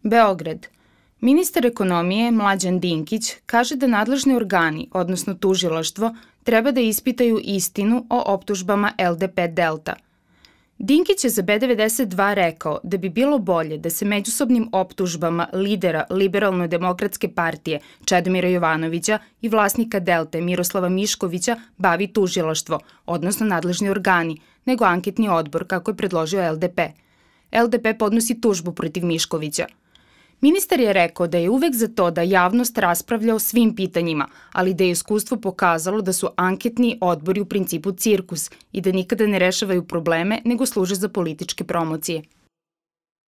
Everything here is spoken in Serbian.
Beograd. Ministar ekonomije Mlađan Dinkić kaže da nadležni organi, odnosno tužilaštvo, treba da ispitaju istinu o optužbama LDP Delta. Dinkić je za B92 rekao da bi bilo bolje da se međusobnim optužbama lidera Liberalno-demokratske partije Čedomira Jovanovića i vlasnika Delte Miroslava Miškovića bavi tužilaštvo, odnosno nadležni organi, nego anketni odbor kako je predložio LDP. LDP podnosi tužbu protiv Miškovića. Ministar je rekao da je uvek za to da javnost raspravlja o svim pitanjima, ali da je iskustvo pokazalo da su anketni odbori u principu cirkus i da nikada ne rešavaju probleme, nego služe za političke promocije.